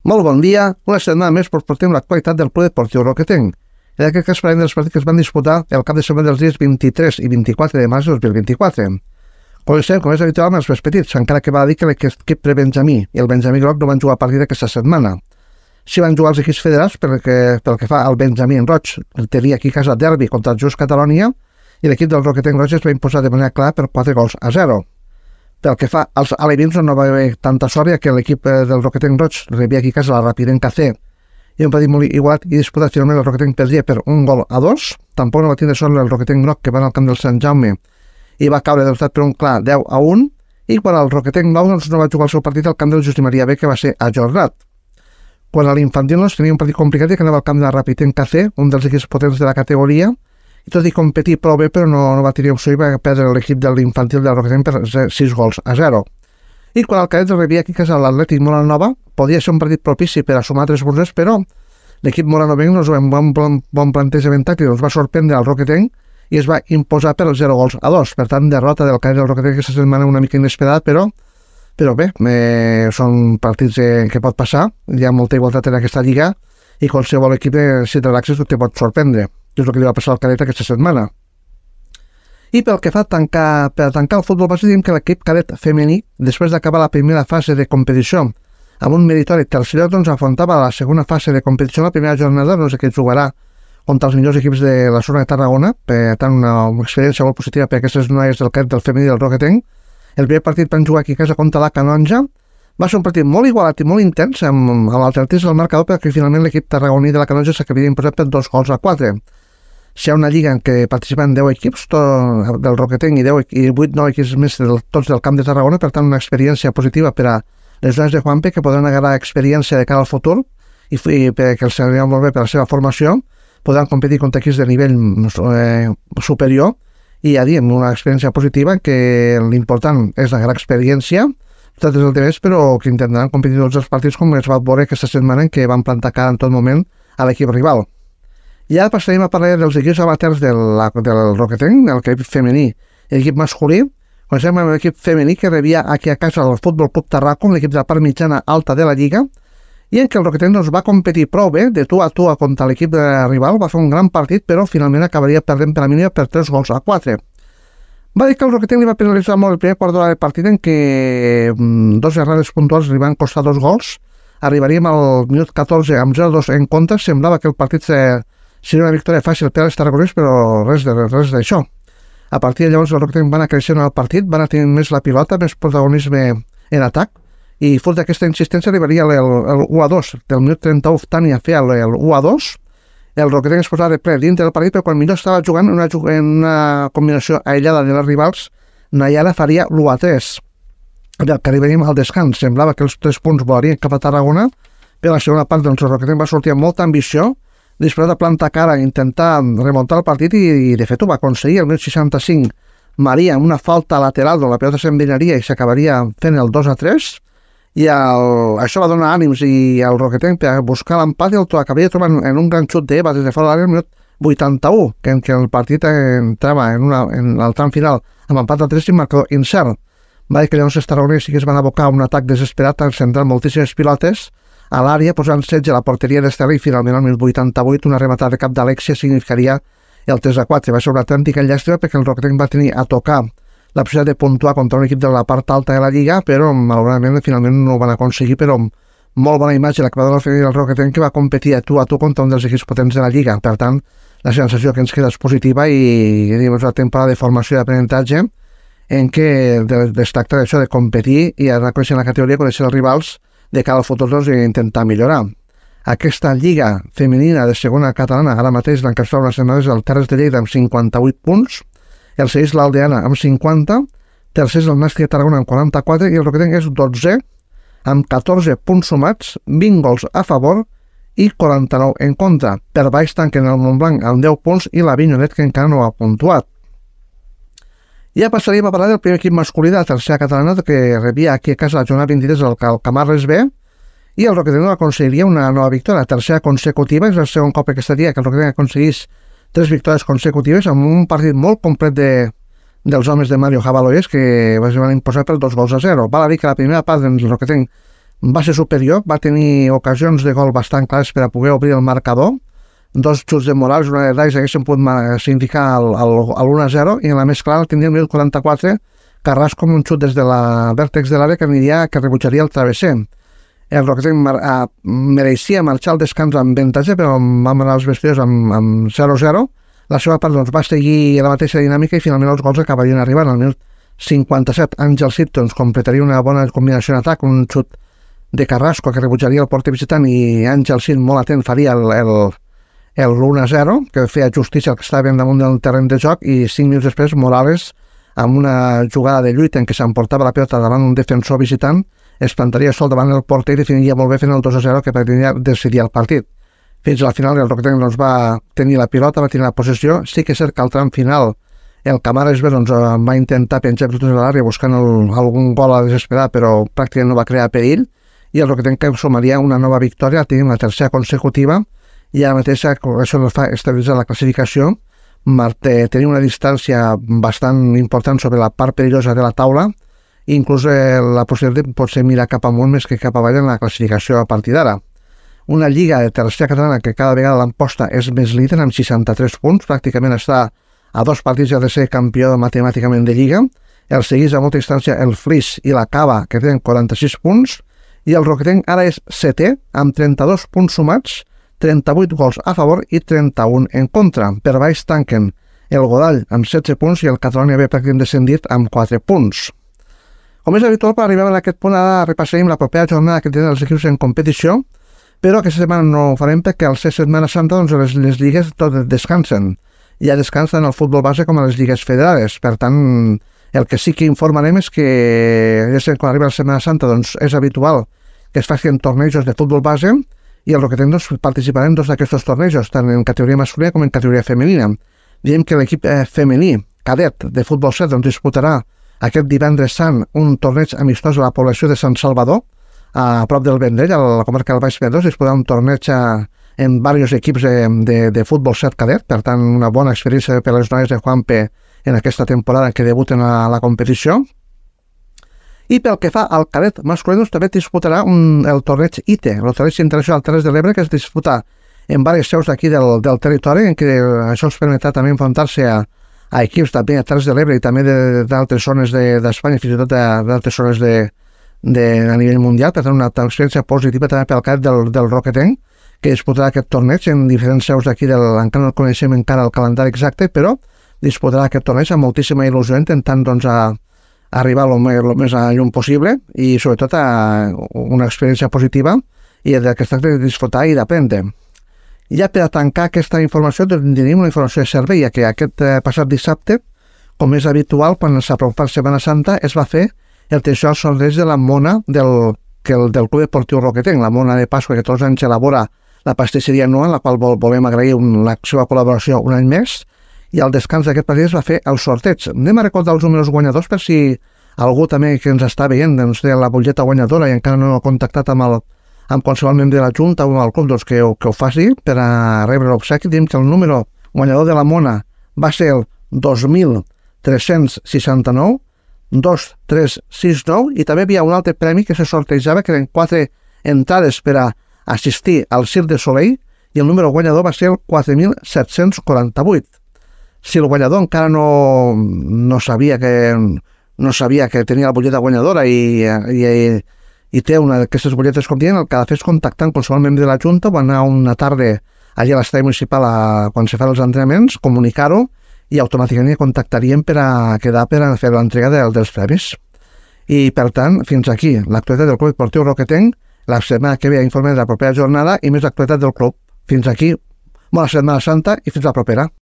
Molt bon dia, una setmana més portem l'actualitat del Club Esportiu Roquetenc. En aquest cas parlem dels partits que es van disputar el cap de setmana dels dies 23 i 24 de març de 2024. Comencem, com és habitual, amb els més petits, encara que val a dir que l'equip prebenjamí i el Benjamí Groc no van jugar partit aquesta setmana. Sí van jugar els equips federats pel que fa al Benjamí en Roig, el tenia aquí a casa derbi contra el Just Catalonia, i l'equip del Roquetenc Roig es va imposar de manera clara per 4-0. Pel que fa als alevins, no va haver tanta sort, ja que l'equip del Roquetenc Roig rebia aquí a casa la Rapidenca C, i un partit molt igualat i disputat. Finalment el Roquetenc perdia per 1-2. Tampoc no va tindre sort el Roquetenc Groc, que va al camp del Sant Jaume i va caure derrotat per un clar 10-1, i quan el Roquetenc Blau no va jugar el seu partit al camp del Justi Maria B, que va ser ajornat. Quan a l'infantil tenia un partit complicat i que anava al camp de la Rapidenca C, un dels equips potents de la categoria, i tot i competir prou bé, però no va tenir opció i va perdre l'equip de l'infantil del Roquetenc per 6-0. I quan el cadet rebia aquí a casa l'Atlètic Molanova, podia ser un partit propici per a sumar 3 punts, però l'equip molanovenc amb un bon plantejament tàctic va sorprendre al Roquetenc i es va imposar per 0-2. Per tant, derrota del cadet del Roquetenc aquesta setmana una mica inesperada, però bé, són partits que pot passar, hi ha molta igualtat en aquesta lliga i qualsevol equip, si et relaxes, te pot sorprendre. És el que li va passar al cadet aquesta setmana. I pel que fa per tancar el futbol base, diem que l'equip cadet femení, després d'acabar la primera fase de competició amb un meritori tercer lloc, afrontava la segona fase de competició. La primera jornada que jugarà contra els millors equips de la zona de Tarragona, per tant una experiència molt positiva per aquestes noies del cadet del femení del Roquetenc. El primer partit van jugar aquí a casa contra la Canonja. Va ser un partit molt igualat i molt intens, amb l'alternativa del marcador, perquè finalment l'equip tarragoní de la Canonja s'acabaria imposat per 2-4. Si hi ha una lliga en què participen 10 equips del Roquetenc i 8-9 equips més tots del camp de Tarragona, per tant una experiència positiva per a les dones de Juanpe, que podran agarrar experiència de cara al futur i perquè els anirà molt bé per la seva formació, podran competir contra equips de nivell superior i ja diem, una experiència positiva, que l'important és la gran experiència, tot és el de més, però que intentaran competir tots els partits com es va veure aquesta setmana en què van plantar cara en tot moment a l'equip rival. I ara passarem a parlar dels equips amateurs del Roquetenc, l'equip femení i l'equip masculí. Comencem amb l'equip femení, que rebia aquí a casa el Futbol Club Tarracon, l'equip de la part mitjana alta de la lliga, i en què el Roquetenc va competir prou bé, de tu a tu contra l'equip de rival. Va fer un gran partit, però finalment acabaria perdent per la mínima per 3-4. Va dir que el Roquetenc li va penalitzar molt el primer quart d'hora del partit, en què 2 errades puntuals li van costar 2 gols. Arribaríem al minut 14 amb 0-2 en contra. Semblava que el partit seria una victòria fàcil per als tarragonins, però res d'això. A partir de llavors el Roquetenc va anar creixent el partit, va anar tenint més la pilota, més protagonisme en atac, i fruit d'aquesta insistència arribaria el 1-2. Del minut 31 Tània feia el 1-2, el Roquetenc es posava de ple dintre del partit, però quan millor estava jugant en una combinació aïllada de les rivals, Nayara faria l'1-3. Que arribaríem al descans. Semblava que els 3 punts volarien cap a Tarragona, però la segona part el Roquetenc va sortir amb molta ambició, disposat a plantar cara, intentar remuntar el partit, i de fet ho va aconseguir. El 1065 Maria, amb una falta lateral on la pilota s'envenaria i s'acabaria fent el 2-3, i això va donar ànims i el Roquetenc per buscar l'empat, i el acabaria trobant en un gran xut d'Eva des de fora de l'àrea al minut 81, en què el partit entrava en el tram final amb empat a 3 i marcador incert. Va dir que llavors els tarragonins sí que es van abocar a un atac desesperat, centrant moltíssimes pilotes a l'àrea, posant setge a la porteria d'Estela, i finalment al 1088 una rematada de cap d'Alexia significaria el 3-4. Va ser una autèntica llàstima, perquè el Roquetenc va tenir a tocar la possibilitat de puntuar contra un equip de la part alta de la lliga, però malauradament finalment no ho van aconseguir, però molt bona imatge la que va donar el Roquetenc, que va competir a tu contra un dels equips potents de la lliga. Per tant, la sensació que ens queda és positiva, i és una temporada de formació i d'aprenentatge en què es tracta d'això, de competir i anar coneixent la categoria, conèixer els rivals de cara al futur i intentar millorar. Aquesta lliga femenina de segona catalana ara mateix l'encapçala unes setmanes el Terres de Lleida amb 58 punts, el segueix l'Aldeana amb 50, tercer és el Nàstic de Tarragona amb 44, i el Roquetenc és 12 amb 14 punts sumats, 20 gols a favor i 49 en contra. Per baix tanquen el Montblanc amb 10 punts i l'Avinyonet, que encara no ha puntuat. Ja passaríem a parlar del primer equip masculí de la tercera catalana, que rebia aquí a casa la jornada 23 el Camarles B, i el Roquetenc aconseguiria una nova victòria, la tercera consecutiva. És el segon cop aquesta dia que el Roquetenc aconseguís 3 victòries consecutives, amb un partit molt complet dels homes de Mario Jabaloyes, que van imposar per 2-0. Val a dir que la primera part del Roquetenc va ser superior, va tenir ocasions de gol bastant clares per a poder obrir el marcador, 2 xuts de Morales, una de Dais haguessin pogut significar l'1-0, i en la més clara tindria el 1044, Carrasco amb un xut des de la vèrtex de l'àrea que rebutjaria el travesser. El Roquetenc mereixia marxar al descans amb avantatge, però vam anar als vestidors amb 0-0. La seva part va seguir la mateixa dinàmica i finalment els gols acabarien arribant. Al minut 57, Àngel Cid completaria una bona combinació en atac, un xut de Carrasco que rebutjaria el porter visitant i Àngel Cid, molt atent, faria el 1-0, que feia justícia al que estava ben damunt del terreny de joc, i 5 minuts després Morales, amb una jugada de lluita en què s'emportava la pilota davant un defensor visitant, es plantaria sol davant el porter i definiria molt bé fent el 2-0 que pretenia decidir el partit. Fins al final el Roquetenc va tenir la pilota, va tenir la possessió. Sí que és cert que al tram final el Camares va intentar penjar per tota l'àrea buscant algun gol a desesperar, però pràcticament no va crear perill, i el Roquetenc sumaria una nova victòria, tenim la tercera consecutiva, i ara mateix això ens fa estabilitzar la classificació, tenir una distància bastant important sobre la part perillosa de la taula, i inclús la possibilitat de potser mirar cap amunt més que cap avall en la classificació a partir d'ara. Una lliga de tercera catalana que cada vegada l'emposta és més líder amb 63 punts, pràcticament està a 2 partits de ser campió matemàticament de lliga. El seguís a molta distància el Flix i la Cava, que tenen 46 punts, i el Roquetenc ara és setè amb 32 punts sumats, 38 gols a favor i 31 en contra. Per baix tanquen el Godall amb 16 punts i el Catalonia B pràcticament descendit amb 4 punts. Com és habitual, per arribar a aquest punt, ara repassarem la propera jornada que tenen els equips en competició, però aquesta setmana no ho farem perquè al ser Setmana Santa les lligues tot descansen. Ja descansen el futbol base com a les lligues federades. Per tant, el que sí que informarem és que quan arriba la Setmana Santa és habitual que es facin tornejos de futbol base i el Roquetenc participarà en 2 d'aquests tornejos, tant en categoria masculina com en categoria femenina. Diem que l'equip femení cadet de futbol 7 disputarà aquest divendres sant un torneig amistós a la població de Sant Salvador, a prop del Vendrell, a la comarca del Baix Penedès. Disputarà un torneig en diversos equips de futbol 7 cadet, per tant una bona experiència per les noies de Juanpe en aquesta temporada que debuten a la competició. I pel que fa al cadet masculí, també disputarà el torneig ITE, el torneig internacional Terres de l'Ebre, que es disputa en diverses seus d'aquí del territori, en què això els permetrà també enfrontar-se a equips també a Terres de l'Ebre i també d'altres zones d'Espanya, fins i tot d'altres zones a nivell mundial. Per tant, una experiència positiva també pel cadet del Roquetenc, que disputarà aquest torneig en diferents seus d'aquí, encara no coneixem encara el calendari exacte, però disputarà aquest torneig amb moltíssima il·lusió, intentant arribar el més lluny possible i sobretot a una experiència positiva i del que es tracta de disfrutar i d'aprendre. Ja per a tancar aquesta informació tenim una informació de servei, ja que aquest passat dissabte, com és habitual quan s'apropa la Setmana Santa, es va fer el tradicional sorteig de la mona del Club Deportiu Roquetenc, la mona de Pasqua que tots els anys elabora la pastisseria Noa, en la qual volem agrair la seva col·laboració un any més, i al descans d'aquest partit es va fer el sorteig. Anem a recordar els números guanyadors per si algú també que ens està veient té la butlleta guanyadora i encara no ha contactat amb qualsevol membre de la Junta o amb el club, que ho faci per a rebre l'obsequi. Diem que el número guanyador de la mona va ser el 2369, 2369, i també hi havia un altre premi que se sortejava, que eren 4 entrades per a assistir al Cirque de Soleil, i el número guanyador va ser el 4748. Si el guanyador encara no sabia que tenia la butlleta guanyadora i té una d'aquestes butlletes com dient, el que ha de fer és contactar amb qualsevol membre de la Junta o anar una tarda allà a l'estadi municipal quan se fan els entrenaments, comunicar-ho, i automàticament contactaríem per a quedar per a fer l'entrega dels premis. I per tant, fins aquí l'actualitat del Club Deportiu Roquetenc. La setmana que ve informe de la propera jornada i més l'actualitat del club. Fins aquí, bona Setmana Santa i fins la propera.